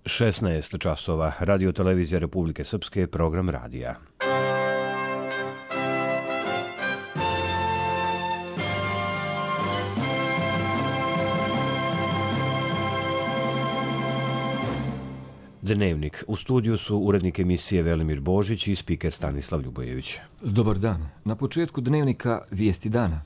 16 časova, Radio Televizija Republike Srpske, program radija. Dnevnik. U studiju su urednik emisije Velimir Božić i spiker Stanislav Ljubojević. Dobar dan. Na početku dnevnika vijesti dana.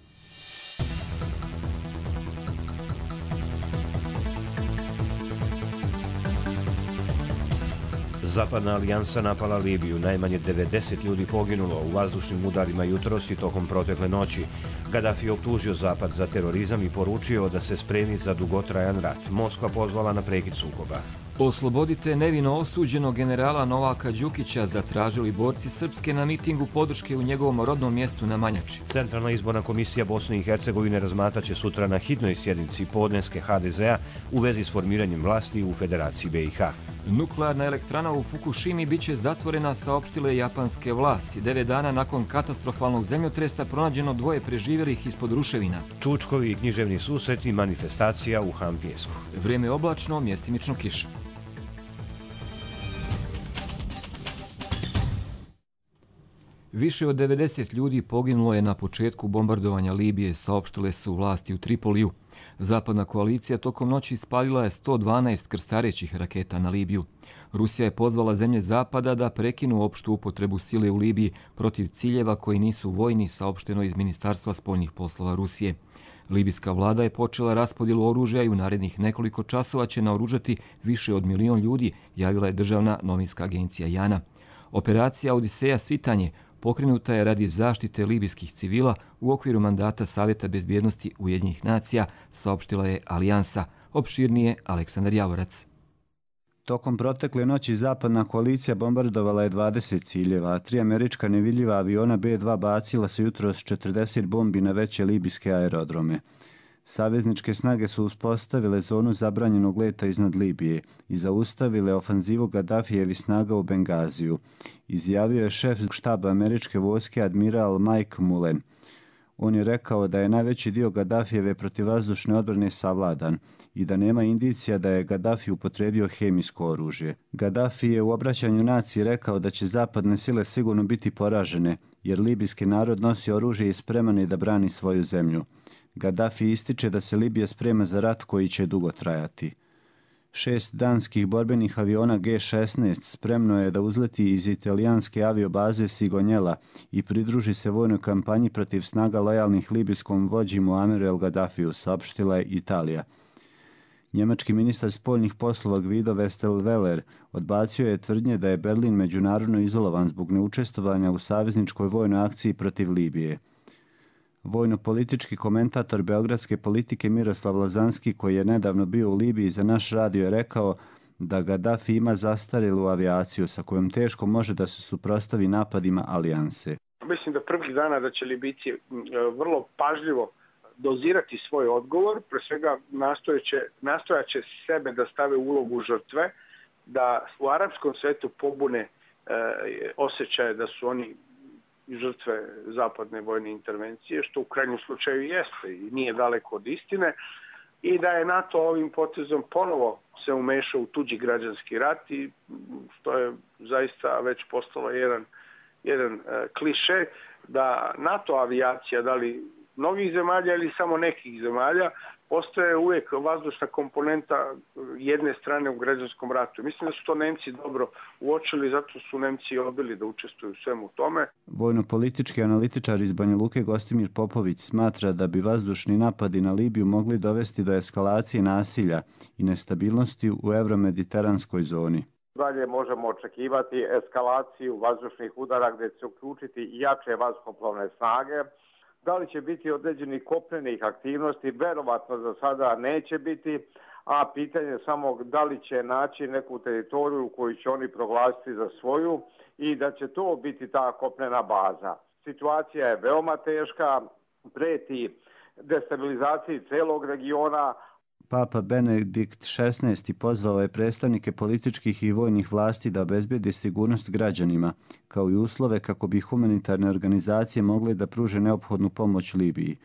Zapadna alijansa napala Libiju. Najmanje 90 ljudi poginulo u vazdušnim udarima jutros i tokom protekle noći. Gaddafi optužio Zapad za terorizam i poručio da se spremi za dugotrajan rat. Moskva pozvala na prekid sukoba. Oslobodite nevino osuđenog generala Novaka Đukića, zatražili borci Srpske na mitingu podrške u njegovom rodnom mjestu na Manjači. Centralna izborna komisija Bosne i Hercegovine razmatraće sutra na hitnoj sjednici podneske HDZ-a u vezi s formiranjem vlasti u Federaciji BiH. Nuklearna elektrana u Fukushimi biće zatvorena, saopštile japanske vlasti. 9 dana nakon katastrofalnog zemljotresa pronađeno 2 preživjelih ispod ruševina. Čučkovi i književni susret i manifestacija u Hampijesku. Vrijeme oblačno, mjestimično kiša. Više od 90 ljudi poginulo je na početku bombardovanja Libije, saopštile su vlasti u Tripoliju. Zapadna koalicija tokom noći ispalila je 112 krstarećih raketa na Libiju. Rusija je pozvala zemlje Zapada da prekinu opštu upotrebu sile u Libiji protiv ciljeva koji nisu vojni, saopšteno iz Ministarstva spoljnih poslova Rusije. Libijska vlada je počela raspodjelu oružja i u narednih nekoliko časova će naoružati više od 1 milion ljudi, javila je državna novinska agencija JANA. Operacija Odiseja Svitanje pokrenuta je radi zaštite libijskih civila u okviru mandata Savjeta bezbjednosti Ujedinjenih nacija, saopštila je Alijansa. Opširnije Aleksandar Javorac. Tokom protekle noći zapadna koalicija bombardovala je 20 ciljeva, a 3 američka nevidljiva aviona B-2 bacila su jutros 40 bombi na veće libijske aerodrome. Savezničke snage su uspostavile zonu zabranjenog leta iznad Libije i zaustavile ofanzivu Gaddafijevih snaga u Bengaziju, izjavio je šef štaba američke vojske admiral Mike Mullen. On je rekao da je najveći dio Gaddafijeve protivvazdušne odbrane savladan i da nema indicija da je Gaddafi upotrijebio hemijsko oružje. Gaddafi je u obraćanju naciji rekao da će zapadne sile sigurno biti poražene, jer libijski narod nosi oružje i spreman je da brani svoju zemlju. Gaddafi ističe da se Libija sprema za rat koji će dugo trajati. 6 danskih borbenih aviona G-16 spremno je da uzleti iz italijanske aviobaze Sigonjela i pridruži se vojnoj kampanji protiv snaga lojalnih libijskom vođi Muammeru el Gaddafiju, saopštila je Italija. Njemački ministar spoljnih poslova Guido Westerwelle odbacio je tvrdnje da je Berlin međunarodno izolovan zbog neučestvovanja u savezničkoj vojnoj akciji protiv Libije. Vojno-politički komentator beogradske politike Miroslav Lazanski, koji je nedavno bio u Libiji za naš radio, je rekao da Gaddafi ima zastarjelu avijaciju sa kojom teško može da se suprotstavi napadima alijanse. Mislim da prvih dana da će Libijci vrlo pažljivo dozirati svoj odgovor, pre svega nastojaće sebe da stave u ulogu žrtve, da u arapskom svetu pobune osjećaje da su oni žrtve zapadne vojne intervencije, što u krajnjem slučaju jeste i nije daleko od istine, i da je NATO ovim potezom ponovo se umešao u tuđi građanski rat, i što je zaista već postalo jedan kliše, da NATO avijacija, da li mnogih zemalja ili samo nekih zemalja, postaje uvijek vazdušna komponenta jedne strane u građanskom ratu. Mislim da su to Nemci dobro uočili, zato su Nemci odbili da učestvuju u svemu tome. Vojno-politički analitičar iz Banja Luke Gostimir Popović smatra da bi vazdušni napadi na Libiju mogli dovesti do eskalacije nasilja i nestabilnosti u evromediteranskoj zoni. Dalje možemo očekivati eskalaciju vazdušnih udara gdje će uključiti i jače vazduhoplovne snage. Da li će biti određenih kopnenih aktivnosti? Verovatno za sada neće biti, a pitanje je samo da li će naći neku teritoriju koju će oni proglasiti za svoju i da će to biti ta kopnena baza. Situacija je veoma teška, preti destabilizaciji celog regiona. Papa Benedikt XVI pozvao je predstavnike političkih i vojnih vlasti da obezbedi sigurnost građanima, kao i uslove kako bi humanitarne organizacije mogle da pruže neophodnu pomoć Libiji.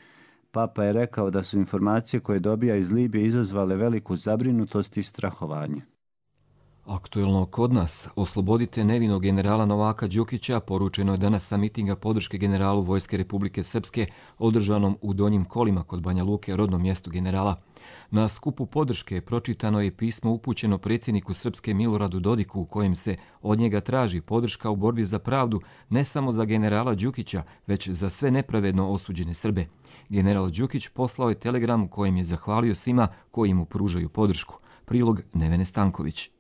Papa je rekao da su informacije koje dobija iz Libije izazvale veliku zabrinutost i strahovanje. Aktuelno kod nas, oslobodite nevinog generala Novaka Đukića, poručeno je danas sa mitinga podrške generalu Vojske Republike Srpske, održanom u Donjim Kolima kod Banja Luke, rodnom mjestu generala. Na skupu podrške pročitano je pismo upućeno predsjedniku Srpske Miloradu Dodiku u kojem se od njega traži podrška u borbi za pravdu ne samo za generala Đukića, već za sve nepravedno osuđene Srbe. General Đukić poslao je telegram u kojem je zahvalio svima koji mu pružaju podršku. Prilog Nevene Stanković.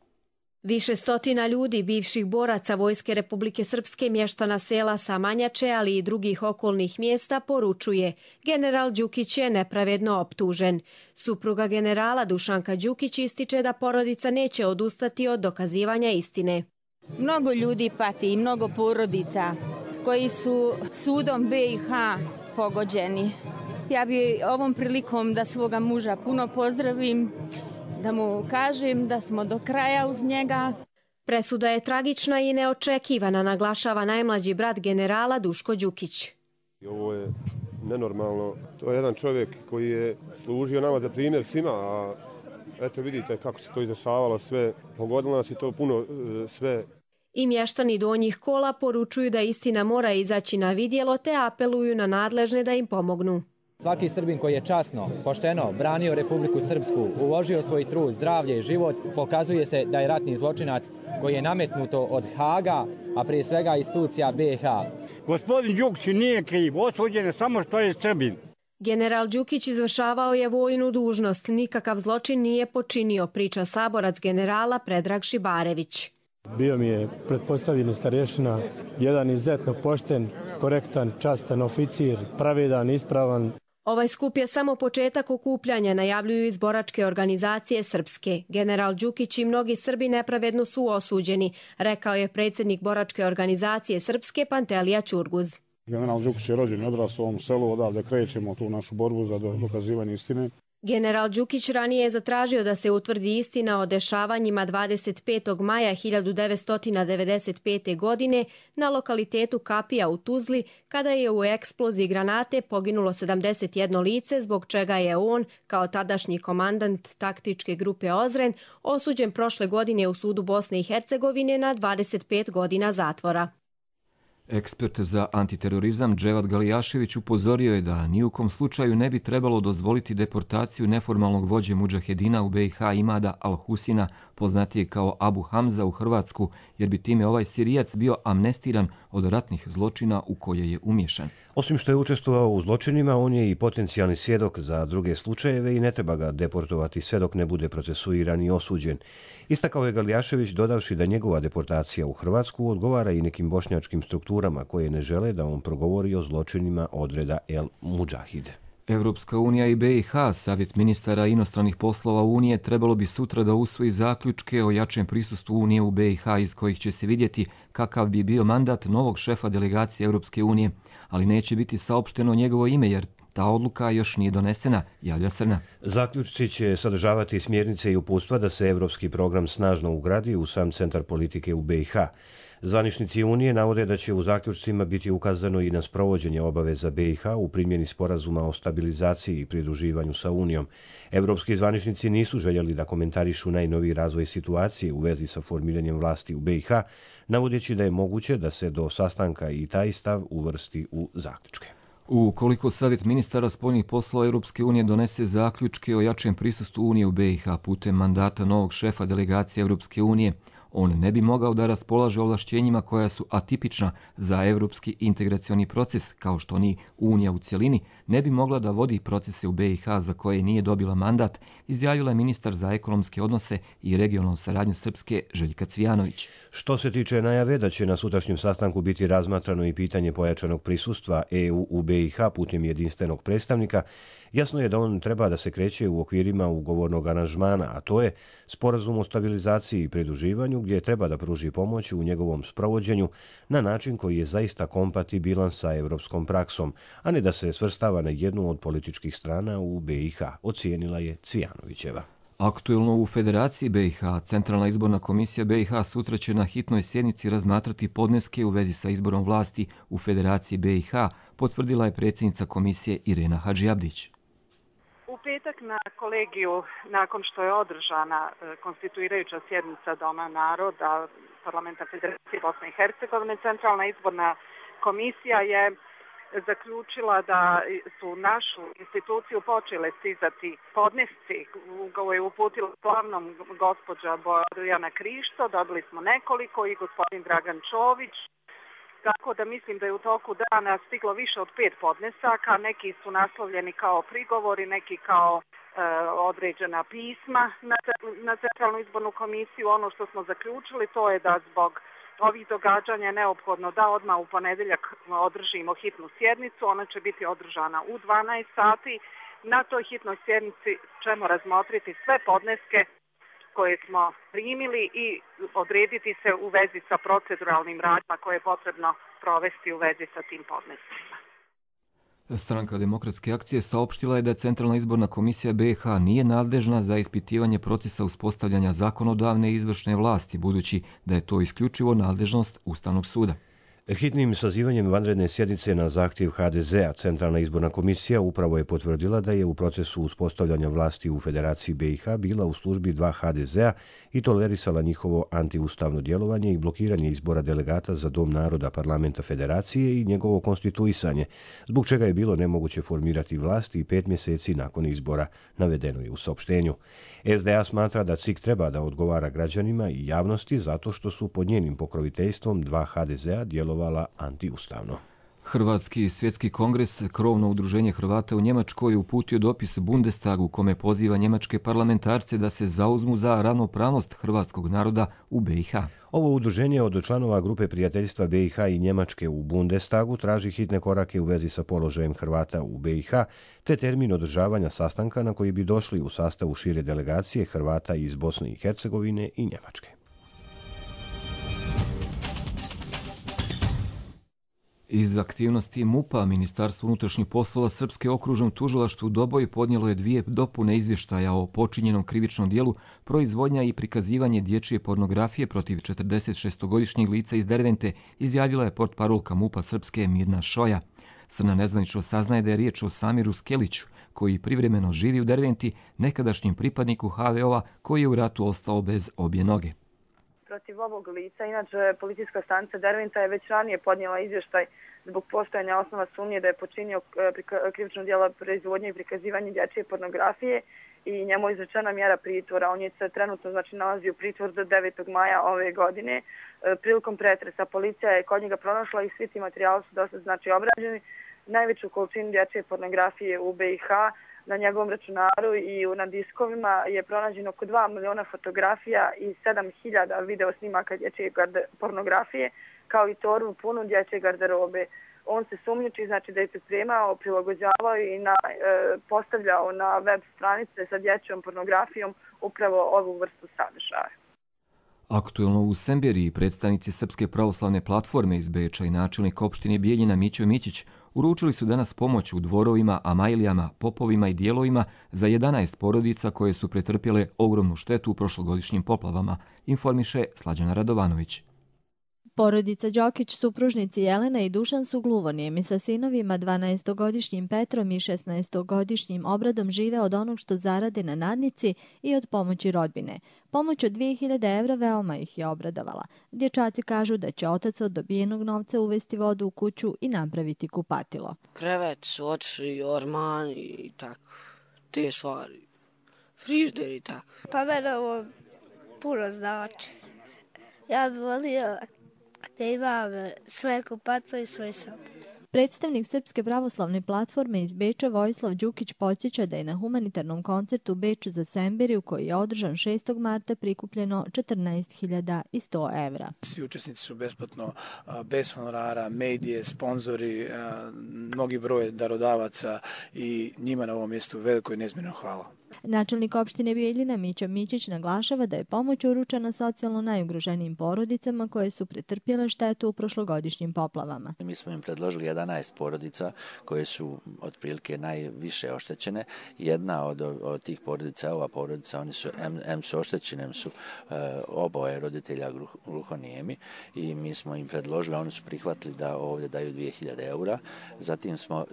Više stotina ljudi, bivših boraca Vojske Republike Srpske, mještana sela Samanjače, ali i drugih okolnih mjesta, poručuje: general Đukić je nepravedno optužen. Supruga generala Dušanka Đukić ističe da porodica neće odustati od dokazivanja istine. Mnogo ljudi pati i mnogo porodica koji su sudom BiH pogođeni. Ja bi ovom prilikom da svoga muža puno pozdravim, da mu kažem da smo do kraja uz njega. Presuda je tragična i neočekivana, naglašava najmlađi brat generala Duško Đukić. Ovo je nenormalno. To je jedan čovjek koji je služio nama za primjer svima, a eto vidite kako se to izdešavalo sve. Pogodilo nas i to puno sve. I mještani Donjih Kola poručuju da istina mora izaći na vidjelo te apeluju na nadležne da im pomognu. Svaki Srbin koji je časno, pošteno branio Republiku Srpsku, uložio svoj trud, zdravlje i život, pokazuje se da je ratni zločinac koji je nametnuto od Haga, a prije svega institucija BiH. Gospodin Đukić nije kriv, osuđen je samo što je Srbin. General Đukić izvršavao je vojnu dužnost, nikakav zločin nije počinio, priča saborac generala Predrag Šibarević. Bio mi je pretpostavljeni starješina, jedan izuzetno pošten, korektan, častan oficir, pravedan, ispravan. Ovaj skup je samo početak okupljanja, najavljuju iz boračke organizacije Srpske. General Đukić i mnogi Srbi nepravedno su osuđeni, rekao je predsjednik boračke organizacije Srpske Pantelija Ćurguz. General Đukić je rođen i odrastao u ovom selu, odavde krećemo tu našu borbu za dokazivanje istine. General Đukić ranije je zatražio da se utvrdi istina o dešavanjima 25. maja 1995. godine na lokalitetu Kapija u Tuzli, kada je u eksploziji granate poginulo 71 lice, zbog čega je on, kao tadašnji komandant taktičke grupe Ozren, osuđen prošle godine u sudu Bosne i Hercegovine na 25 godina zatvora. Ekspert za antiterorizam Dževad Galijašević upozorio je da ni u kom slučaju ne bi trebalo dozvoliti deportaciju neformalnog vođe mudžahedina u BiH Imada Al-Husina, poznatije kao Abu Hamza, u Hrvatsku, jer bi time ovaj Sirijac bio amnestiran od ratnih zločina u koje je umiješan. Osim što je učestvovao u zločinima, on je i potencijalni svjedok za druge slučajeve i ne treba ga deportovati sve dok ne bude procesuiran i osuđen. Istakao je Galijašević, dodavši da njegova deportacija u Hrvatsku odgovara i nekim bošnjačkim strukturama koje ne žele da on progovori o zločinima odreda El Mudžahid. Evropska unija i BiH, Savjet ministara inostranih poslova Unije, trebalo bi sutra da usvoji zaključke o jačem prisustvu Unije u BiH, iz kojih će se vidjeti kakav bi bio mandat novog šefa delegacije Europske unije, ali neće biti saopšteno njegovo ime jer ta odluka još nije donesena, javlja Srna. Zaključci će sadržavati smjernice i uputstva da se evropski program snažno ugradi u sam centar politike u BiH. Zvaničnici Unije navode da će u zaključcima biti ukazano i na sprovođenje obaveza BiH u primjeni sporazuma o stabilizaciji i pridruživanju sa Unijom. Evropski zvaničnici nisu željeli da komentarišu najnoviji razvoj situacije u vezi sa formiranjem vlasti u BiH, navodeći da je moguće da se do sastanka i taj stav uvrsti u zaključke. Ukoliko Savjet ministara spoljnih poslova Europske unije donese zaključke o jačem prisustvu Unije u BiH putem mandata novog šefa delegacije Europske unije, on ne bi mogao da raspolaže ovlašćenjima koja su atipična za evropski integracioni proces, kao što ni Unija u cjelini ne bi mogla da vodi procese u BiH za koje nije dobila mandat, izjavila je ministar za ekonomske odnose i regionalnu saradnju Srpske Željka Cvijanović. Što se tiče najave da će na sutrašnjem sastanku biti razmatrano i pitanje pojačanog prisustva EU u BiH putem jedinstvenog predstavnika, jasno je da on treba da se kreće u okvirima ugovornog aranžmana, a to je sporazum o stabilizaciji i pridruživanju gdje treba da pruži pomoć u njegovom sprovođenju na način koji je zaista kompatibilan sa evropskom praksom, a ne da se svrstava na jednu od političkih strana u BiH, ocijenila je Cvijanovićeva. Aktuelno u Federaciji BiH, Centralna izborna komisija BiH sutra će na hitnoj sjednici razmatrati podneske u vezi sa izborom vlasti u Federaciji BiH, potvrdila je predsjednica komisije Irena Hadžiabdić. U petak petak na kolegiju, nakon što je održana konstituirajuća sjednica Doma naroda Parlamenta Federacije Bosne i Hercegovine, Centralna izborna komisija je zaključila da su u našu instituciju počele stizati podnesci koje je uputila glavnom gospođa Bojana Krišto, dobili smo nekoliko i gospodin Dragan Čović, tako da mislim da je u toku dana stiglo više od 5 podnesaka, neki su naslovljeni kao prigovori, neki kao određena pisma na Centralnu izbornu komisiju. Ono što smo zaključili to je da zbog ovih događanja je neophodno da odmah u ponedjeljak održimo hitnu sjednicu. Ona će biti održana u 12 sati. Na toj hitnoj sjednici ćemo razmotriti sve podneske koje smo primili i odrediti se u vezi sa proceduralnim radnjama koje je potrebno provesti u vezi sa tim podnescima. Stranka Demokratske akcije saopštila je da Centralna izborna komisija BiH nije nadležna za ispitivanje procesa uspostavljanja zakonodavne i izvršne vlasti, budući da je to isključivo nadležnost Ustavnog suda. Hitnim sazivanjem vanredne sjednice na zahtjev HDZ-a Centralna izborna komisija upravo je potvrdila da je u procesu uspostavljanja vlasti u Federaciji BiH bila u službi 2 HDZ-a i tolerisala njihovo antiustavno djelovanje i blokiranje izbora delegata za Dom naroda Parlamenta Federacije i njegovo konstituisanje, zbog čega je bilo nemoguće formirati vlast i 5 mjeseci nakon izbora, navedeno je u saopštenju. SDA smatra da CIK treba da odgovara građanima i javnosti zato što su pod njenim pokroviteljstvom 2 HDZ-a djelovala antiustavno. Hrvatski svjetski kongres, krovno udruženje Hrvata u Njemačkoj, uputio dopis Bundestagu kome poziva njemačke parlamentarce da se zauzmu za ravnopravnost hrvatskog naroda u BiH. Ovo udruženje od članova grupe prijateljstva BiH i Njemačke u Bundestagu traži hitne korake u vezi sa položajem Hrvata u BiH, te termin održavanja sastanka na koji bi došli u sastavu šire delegacije Hrvata iz Bosne i Hercegovine i Njemačke. Iz aktivnosti MUP-a, Ministarstvo unutrašnjih poslova Srpske okružnom tužilaštvu Doboj podnijelo je 2 dopune izvještaja o počinjenom krivičnom dijelu proizvodnja i prikazivanje dječje pornografije protiv 46-godišnjeg lica iz Dervente, izjavila je portparolka MUP-a Srpske Mirna Šoja. Srna nezvanično saznaje da je riječ o Samiru Skeliću, koji privremeno živi u Derventi, nekadašnjem pripadniku HVO-a koji je u ratu ostao bez obje noge. Protiv ovog lica, inače policijska stanica Derventa je već ranije podnijela izvještaj zbog postojanja osnova sumnje da je počinio krivično djelo proizvodnje i prikazivanje dječje pornografije i njemu je izrečena mjera pritvora. On je se trenutno nalazi u pritvoru do 9. maja ove godine. Prilikom pretresa policija je kod njega pronašla i svi ti materijali su dosta obrađeni. Najveću količinu dječje pornografije u BiH na njegovom računaru i na diskovima je pronađeno oko 2 miliona fotografija i 7.000 video snimaka dječje pornografije, kao i torbu punu dječje garderobe. On se sumnjiči, da je pripremao, prilagođavao i postavljao na web stranice sa dječjom pornografijom upravo ovu vrstu sadržaja. Aktuelno u Semberiji predstavnici Srpske pravoslavne platforme iz Beča i načelnik opštine Bijeljina Mićo Mićić uručili su danas pomoć u dvorovima, amajlijama, popovima i dijelovima za 11 porodica koje su pretrpjele ogromnu štetu u prošlogodišnjim poplavama, informiše Slađana Radovanović. Porodica Đokić, supružnici Jelena i Dušan su gluvonijemi sa sinovima 12-godišnjim Petrom i 16-godišnjim Obradom žive od onog što zarade na nadnici i od pomoći rodbine. Pomoć od 2000 evra veoma ih je obradovala. Dječaci kažu da će otac od dobijenog novca uvesti vodu u kuću i napraviti kupatilo. Krevet, oči, orman i tako, te stvari, frižder i tako. Pa mene ovo puno znači. Ja bih volio da imam svoje kupatilo i svoj sob. Predstavnik Srpske pravoslavne platforme iz Beča Vojislav Đukić podsjeća da je na humanitarnom koncertu Beč za Semberiju koji je održan 6. marta prikupljeno 14.100 evra. Svi učesnici su besplatno, bez honorara, medije, sponzori, mnogi broj darodavaca i njima na ovom mjestu veliko i nezmjerno hvala. Načelnik opštine Bijeljina Mića Mićić naglašava da je pomoć uručena socijalno najugroženijim porodicama koje su pretrpjele štetu u prošlogodišnjim poplavama. Mi smo im predložili 11 porodica koje su otprilike najviše oštećene. Jedna od tih porodica, ova porodica, oni su su oštećeni, su oboje roditelja gluhonijemi i mi smo im predložili, oni su prihvatili da ovdje daju 2000 eura. Zatim smo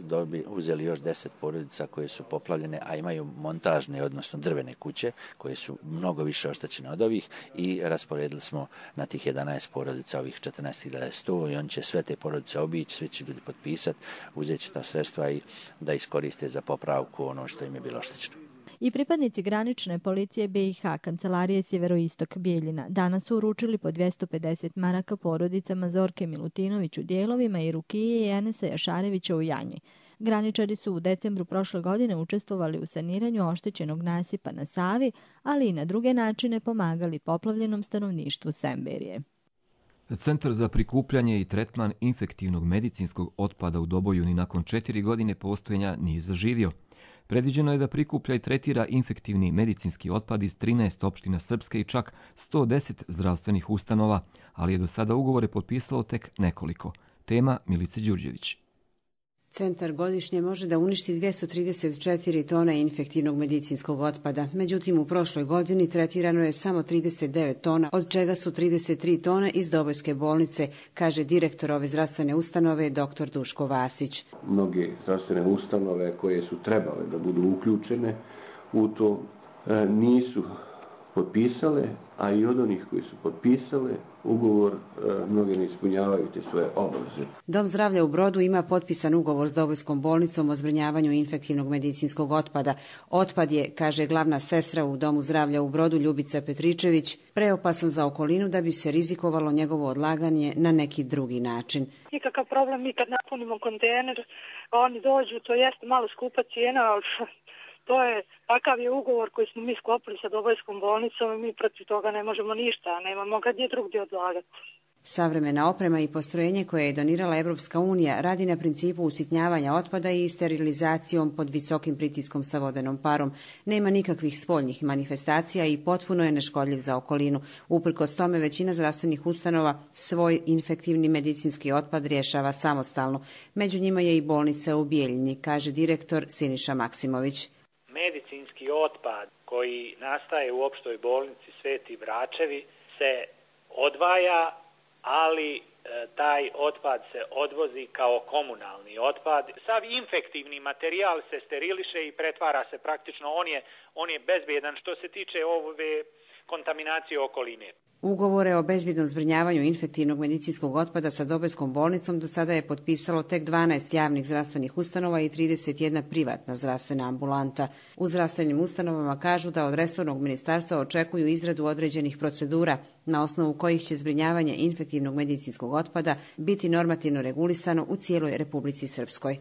uzeli još 10 porodica koje su poplavljene, a imaju montažne, odnosno drvene kuće koje su mnogo više oštećene od ovih i rasporedili smo na tih 11 porodica ovih 14.100 i on će sve te porodice obići, svi će ljudi potpisati, uzet će ta sredstva i da iskoriste za popravku ono što im je bilo oštećeno. I pripadnici granične policije BiH Kancelarije Sjeveroistok Bijeljina danas su uručili po 250 maraka porodicama Zorke Milutinović u Dijelovima i Rukije i Enesa Jašarevića u Janji. Graničari su u decembru prošle godine učestvovali u saniranju oštećenog nasipa na Savi, ali i na druge načine pomagali poplavljenom stanovništvu Semberije. Centar za prikupljanje i tretman infektivnog medicinskog otpada u Dobojuni nakon 4 godine postojanja nije zaživio. Predviđeno je da prikuplja i tretira infektivni medicinski otpad iz 13 opština Srpske i čak 110 zdravstvenih ustanova, ali je do sada ugovore potpisalo tek nekoliko. Tema Milice Đurđević. Centar godišnje može da uništi 234 tone infektivnog medicinskog otpada. Međutim, u prošloj godini tretirano je samo 39 tona, od čega su 33 tone iz Dobojske bolnice, kaže direktor ove zdravstvene ustanove dr. Duško Vasić. Mnoge zdravstvene ustanove koje su trebale da budu uključene u to nisu potpisale, a i od onih koji su potpisale ugovor mnoge ne ispunjavaju te svoje obaveze. Dom zdravlja u Brodu ima potpisan ugovor s Dobojskom bolnicom o zbrinjavanju infektivnog medicinskog otpada. Otpad je, kaže glavna sestra u Domu zdravlja u Brodu Ljubica Petričević, preopasan za okolinu da bi se rizikovalo njegovo odlaganje na neki drugi način. Nikakav problem, mi kad napunimo kontejner, oni dođu, to jest malo skupa cijena, ali to je, takav je ugovor koji smo mi sklopili sa Dobojskom bolnicom i mi protiv toga ne možemo ništa, nemamo ga gdje drugdje odlagati. Savremena oprema i postrojenje koje je donirala Evropska unija radi na principu usitnjavanja otpada i sterilizacijom pod visokim pritiskom sa vodenom parom. Nema nikakvih spoljnih manifestacija i potpuno je neškodljiv za okolinu. Uprkos tome većina zdravstvenih ustanova svoj infektivni medicinski otpad rješava samostalno. Među njima je i bolnica u Bijeljini, kaže direktor Siniša Maksimović. Medicinski otpad koji nastaje u opštoj bolnici Sveti Vračevi se odvaja, ali taj otpad se odvozi kao komunalni otpad. Sav infektivni materijal se steriliše i pretvara se praktično, on je bezbjedan što se tiče ove kontaminacije okoline. Ugovore o bezbjednom zbrinjavanju infektivnog medicinskog otpada sa Dobojskom bolnicom do sada je potpisalo tek 12 javnih zdravstvenih ustanova i 31 privatna zdravstvena ambulanta. U zdravstvenim ustanovama kažu da od resornog ministarstva očekuju izradu određenih procedura na osnovu kojih će zbrinjavanje infektivnog medicinskog otpada biti normativno regulisano u cijeloj Republici Srpskoj.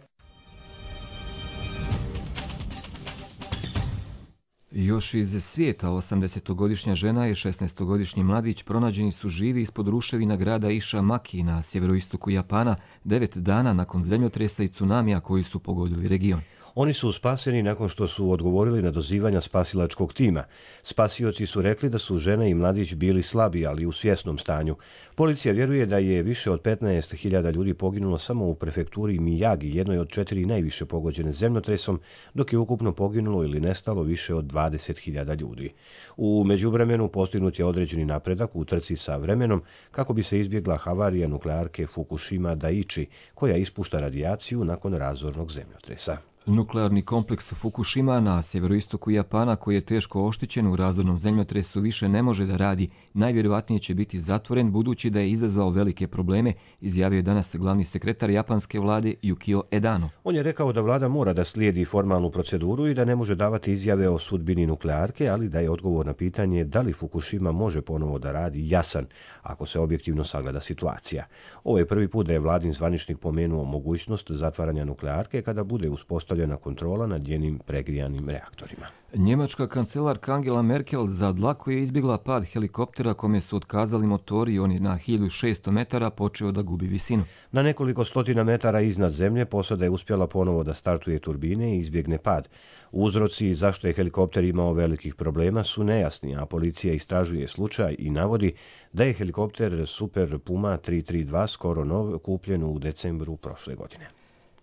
Još iz svijeta 80-godišnja žena i 16-godišnji mladić pronađeni su živi ispod ruševina grada Iša Maki na sjeveroistoku Japana 9 dana nakon zemljotresa i tsunamija koji su pogodili region. Oni su spaseni nakon što su odgovorili na dozivanja spasilačkog tima. Spasioci su rekli da su žena i mladić bili slabi, ali u svjesnom stanju. Policija vjeruje da je više od 15.000 ljudi poginulo samo u prefekturi Miyagi, jednoj od 4 najviše pogođene zemljotresom, dok je ukupno poginulo ili nestalo više od 20.000 ljudi. U međuvremenu postignut je određeni napredak u trci sa vremenom kako bi se izbjegla havarija nuklearke Fukushima Daiichi, koja ispušta radijaciju nakon razornog zemljotresa. Nuklearni kompleks Fukushima na sjeveroistoku Japana, koji je teško oštećen u razornom zemljotresu, više ne može da radi. Najvjerojatnije će biti zatvoren budući da je izazvao velike probleme, izjavio je danas glavni sekretar japanske vlade Yukio Edano. On je rekao da vlada mora da slijedi formalnu proceduru i da ne može davati izjave o sudbini nuklearke, ali da je odgovor na pitanje da li Fukushima može ponovo da radi jasan, ako se objektivno sagleda situacija. Ovo je prvi put da je vladin zvaničnik pomenuo mogućnost zatvaranja nuklearke kada bude uspostavljena uspostavljena kontrola nad njenim pregrijanim reaktorima. Njemačka kancelarka Angela Merkel za dlaku je izbjegla pad helikoptera kome su otkazali motori i on je na 1600 metara počeo da gubi visinu. Na nekoliko stotina metara iznad zemlje posada je uspjela ponovo da startuje turbine i izbjegne pad. Uzroci zašto je helikopter imao velikih problema su nejasni, a policija istražuje slučaj i navodi da je helikopter Super Puma 332 skoro nov kupljen u decembru prošle godine.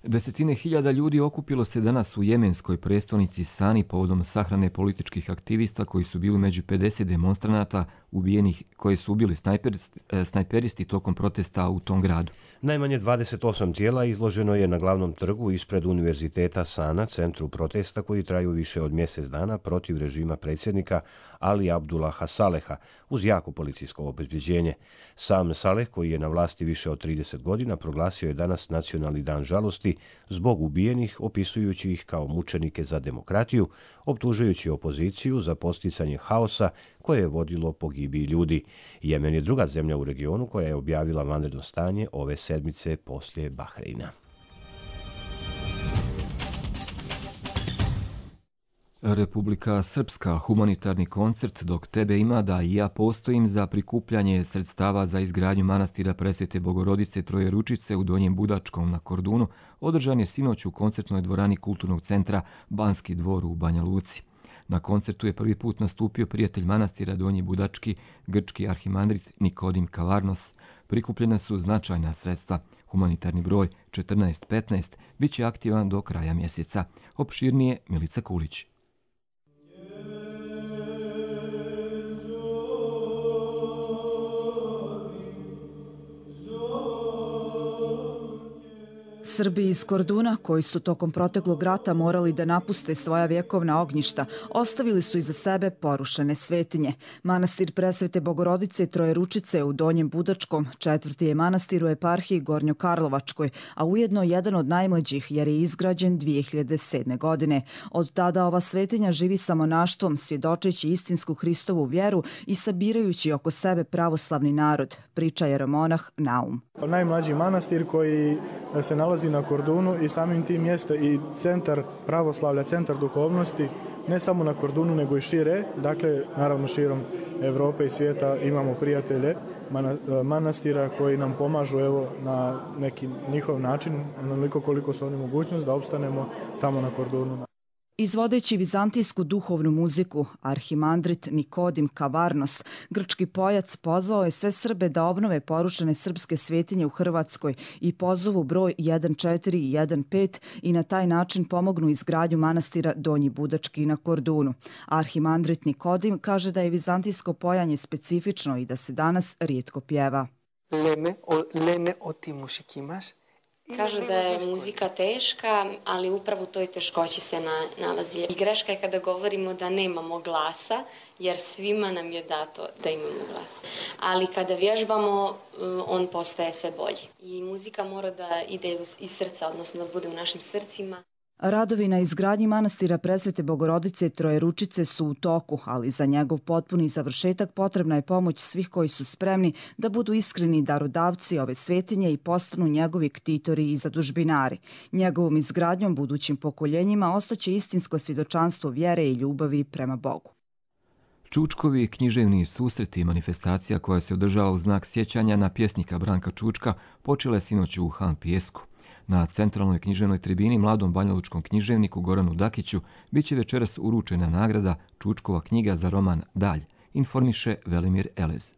Desetine hiljada ljudi okupilo se danas u jemenskoj prestolnici Sani povodom sahrane političkih aktivista koji su bili među 50 demonstranata ubijenih koje su ubili snajperisti tokom protesta u tom gradu. Najmanje 28 tijela izloženo je na glavnom trgu ispred Univerziteta Sana, centru protesta koji traju više od mjesec dana protiv režima predsjednika Ali Abdullaha Saleha uz jako policijsko obezbeđenje. Sam Saleh, koji je na vlasti više od 30 godina, proglasio je danas nacionalni dan žalosti zbog ubijenih, opisujući ih kao mučenike za demokratiju, optužujući opoziciju za posticanje haosa koje je vodilo pogibiji ljudi. Jemen je druga zemlja u regionu koja je objavila vanredno stanje ove sedmice poslije Bahreina. Republika Srpska, humanitarni koncert Dok tebe ima da i ja postojim za prikupljanje sredstava za izgradnju manastira Presvete Bogorodice Trojeručice u Donjem Budačkom na Kordunu održan je sinoć u koncertnoj dvorani Kulturnog centra Banski dvor u Banja Luci. Na koncertu je prvi put nastupio prijatelj manastira Donji Budački, grčki arhimandrit Nikodim Kavarnos. Prikupljena su značajna sredstva. Humanitarni broj 1415 bit će aktivan do kraja mjeseca. Opširnije Milica Kulić. Srbi iz Korduna, koji su tokom proteklog rata morali da napuste svoja vjekovna ognjišta, ostavili su iza sebe porušene svetinje. Manastir Presvete Bogorodice Trojeručice u Donjem Budačkom četvrti je manastir u eparhiji Gornjokarlovačkoj, a ujedno jedan od najmlađih jer je izgrađen 2007. godine. Od tada ova svetinja živi sa monaštvom, svjedočeći istinsku Hristovu vjeru i sabirajući oko sebe pravoslavni narod, priča jeromonah Naum. Najmlađi manastir koji se nalazi na Kordunu i samim tim mjesta i centar pravoslavlja, centar duhovnosti, ne samo na Kordunu nego i šire, dakle naravno širom Evrope i svijeta imamo prijatelje manastira koji nam pomažu evo na neki njihov način, onoliko koliko su oni mogućnost da opstanemo tamo na Kordunu. Izvodeći vizantijsku duhovnu muziku, arhimandrit Nikodim Kavarnos, grčki pojac, pozvao je sve Srbe da obnove porušene srpske svetinje u Hrvatskoj i pozovu broj 1415 i na taj način pomognu izgradnju manastira Donji Budački na Kordunu. Arhimandrit Nikodim kaže da je vizantijsko pojanje specifično i da se danas rijetko pjeva. Leme o ti mušikimaš. Kažu da je muzika teška, ali upravo u toj teškoći se nalazi. I greška je kada govorimo da nemamo glasa, jer svima nam je dato da imamo glas. Ali kada vježbamo, on postaje sve bolji. I muzika mora da ide iz srca, odnosno da bude u našim srcima. Radovi na izgradnji manastira Presvete Bogorodice Trojeručice su u toku, ali za njegov potpuni završetak potrebna je pomoć svih koji su spremni da budu iskreni darodavci ove svetinje i postanu njegovi ktitori i zadužbinari. Njegovom izgradnjom budućim pokoljenjima ostaće istinsko svjedočanstvo vjere i ljubavi prema Bogu. Čučkovi književni susreti i manifestacija koja se održava u znak sjećanja na pjesnika Branka Čučka počela je sinoć u Han Pijesku. Na centralnoj književnoj tribini mladom banjalučkom književniku Goranu Dakiću bit će večeras uručena nagrada Čučkova knjiga za roman Dalj, informiše Velimir Elez.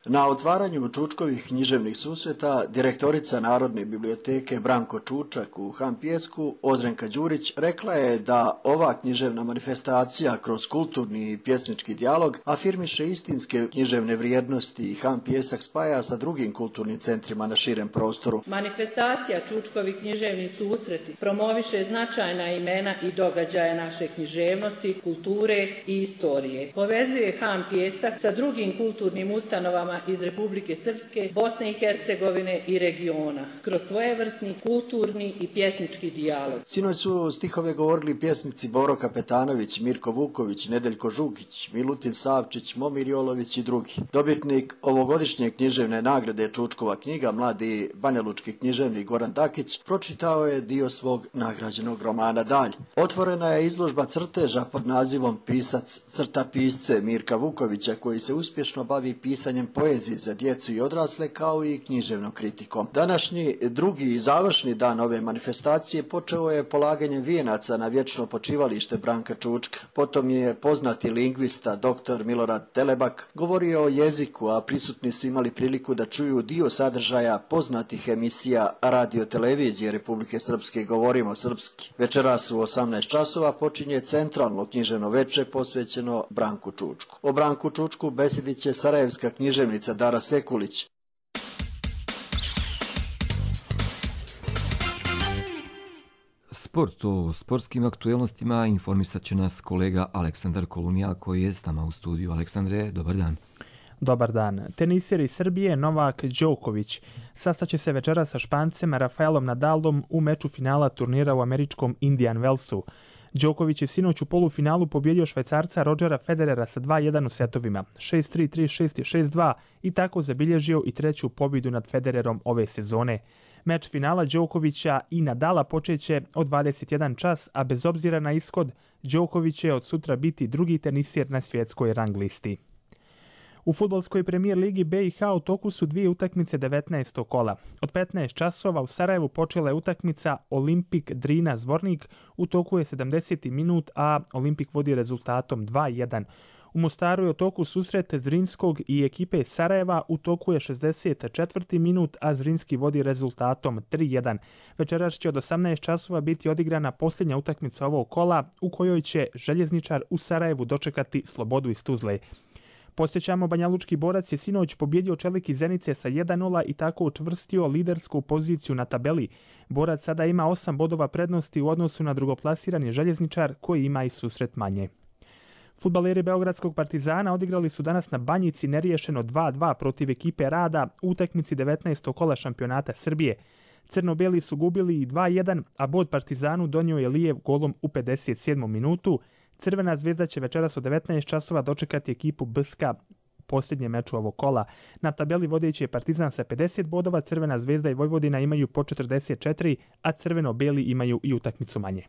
Na otvaranju Čučkovih književnih susreta direktorica Narodne biblioteke Branko Čučak u Han Pijesku, Ozrenka Đurić, rekla je da ova književna manifestacija kroz kulturni i pjesnički dijalog afirmiše istinske književne vrijednosti i Han Pijesak spaja sa drugim kulturnim centrima na širem prostoru. Manifestacija Čučkovi književni susreti promoviše značajna imena i događaje naše književnosti, kulture i istorije. Povezuje Han Pijesak sa drugim kulturnim ustanovama državama iz Republike Srpske, Bosne i Hercegovine i regiona, kroz svojevrsni kulturni i pjesnički dijalog. Sinoć su stihove govorili pjesnici Boro Kapetanović, Mirko Vuković, Nedeljko Žugić, Milutin Savčić, Momir Jolović i drugi. Dobitnik ovogodišnje književne nagrade Čučkova knjiga, mladi banjalučki književnik Goran Dakić, pročitao je dio svog nagrađenog romana Dalj. Otvorena je izložba crteža pod nazivom Pisac crta pisce Mirka Vukovića, koji se uspješno bavi pisanjem poezije za djecu i odrasle kao i književnom kritikom. Današnji drugi i završni dan ove manifestacije počeo je polaganjem vijenaca na vječno počivalište Branka Čučka. Potom je poznati lingvista dr. Milorad Telebak govorio o jeziku, a prisutni su imali priliku da čuju dio sadržaja poznatih emisija radio-televizije Republike Srpske Govorimo srpski. Večeras u 18 časova počinje centralno književno veče posvećeno Branku Čučku. O Branku Čučku besedit će sarajevska književnica Dara Sekulić. Sport, o sportskim aktuelnostima informisat će nas kolega Aleksandar Kolunija koji je s nama u studiju. Aleksandre, dobar dan. Dobar dan. Teniser iz Srbije Novak Đoković sastaće se večera sa Špancem Rafaelom Nadalom u meču finala turnira u američkom Indian Wellsu. Đoković je sinoć u polufinalu pobjedio Švajcarca Rodgera Federera sa 2-1 u setovima, 6-3, 3-6 i 6-2 i tako zabilježio i treću pobjedu nad Federerom ove sezone. Meč finala Đokovića i Nadala počeće od 21 čas, a bez obzira na ishod, Đoković će od sutra biti drugi tenisir na svjetskoj rang listi. U fudbalskoj premijer ligi BiH u toku su dvije utakmice 19. kola. Od 15 časova u Sarajevu počela je utakmica Olimpik Drina Zvornik, u toku je 70. minut, a Olimpik vodi rezultatom 2-1. U Mostaru je u toku susret Zrinskog i ekipe Sarajeva, u toku je 64. minut, a Zrinski vodi rezultatom 3-1. Večeras će od 18 časova biti odigrana posljednja utakmica ovog kola, u kojoj će Željezničar u Sarajevu dočekati Slobodu iz Tuzle. Podsjećamo, Banjalučki Borac je sinoć pobjedio Čelik iz Zenice sa 1-0 i tako učvrstio lidersku poziciju na tabeli. Borac sada ima 8 bodova prednosti u odnosu na drugoplasirani Željezničar koji ima i susret manje. Fudbaleri Beogradskog Partizana odigrali su danas na Banjici neriješeno 2-2 protiv ekipe Rada u utakmici 19. kola šampionata Srbije. Crno-beli su gubili i 2-1, a bod Partizanu donio je Lijev golom u 57. minutu. Crvena zvezda će večeras od 19 časova dočekati ekipu BSK posljednje meču ovog kola. Na tabeli vodeći je Partizan sa 50 bodova, Crvena zvezda i Vojvodina imaju po 44, a crveno-beli imaju i utakmicu manje.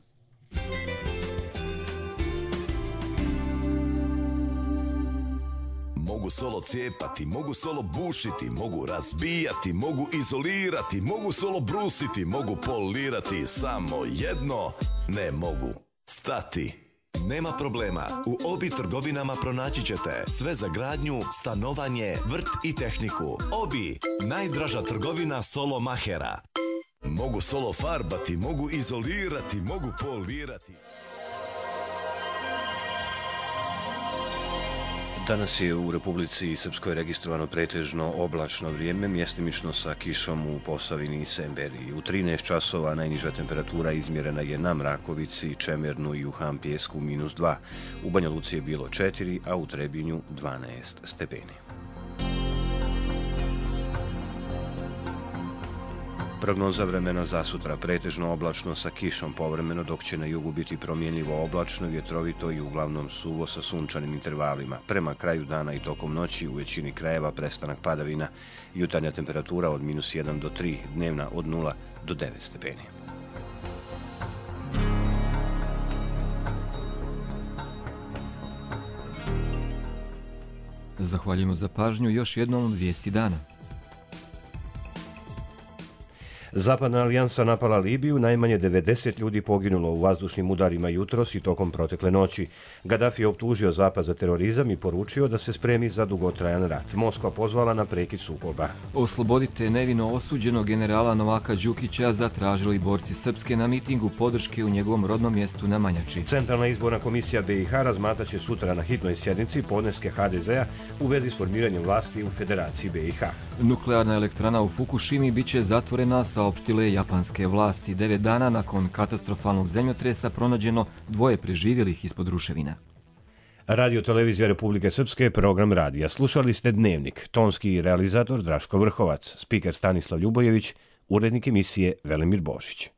Mogu solo cijepati, mogu solo bušiti, mogu razbijati, mogu izolirati, mogu solo brusiti, mogu polirati, samo jedno ne mogu stati. Nema problema, u Obi trgovinama pronaći ćete sve za gradnju, stanovanje, vrt i tehniku. Obi, najdraža trgovina solo mahera. Mogu solo farbati, mogu izolirati, mogu polirati. Danas je u Republici Srpskoj registrovano pretežno oblačno vrijeme, mjestimično sa kišom u Posavini i Semberiji. U 13 časova najniža temperatura izmjerena je na Mrakovici, Čemernu i u Hampijesku -2. U Banja Luci je bilo 4, a u Trebinju 12 stepeni. Prognoza vremena za sutra: pretežno oblačno sa kišom povremeno, dok će na jugu biti promjenljivo oblačno, vjetrovito i uglavnom suvo sa sunčanim intervalima. Prema kraju dana i tokom noći u većini krajeva prestanak padavina. Jutarnja temperatura od -1 do 3, dnevna od 0 do 9 stepeni. Zahvaljujemo za pažnju. Još jednom vijesti dana. Zapadna alijansa napala Libiju, najmanje 90 ljudi poginulo u vazdušnim udarima jutros i tokom protekle noći. Gaddafi je optužio Zapad za terorizam i poručio da se spremi za dugotrajan rat. Moskva pozvala na prekid sukoba. Oslobodite nevino osuđenog generala Novaka Đukića zatražili borci Srpske na mitingu podrške u njegovom rodnom mjestu na Manjači. Centralna izborna komisija BiH razmatraće sutra na hitnoj sjednici podneske HDZ-a u vezi s formiranjem vlasti u Federaciji BiH. Nuklearna elektrana u Fukushimi biće zatvorena, saopštile japanske vlasti. 9 dana nakon katastrofalnog zemljotresa pronađeno 2 preživjelih ispod ruševina. Radio Televizija Republike Srpske, program radija. Slušali ste Dnevnik, tonski realizator Draško Vrhovac, spiker Stanislav Ljubojević, urednik emisije Velimir Božić.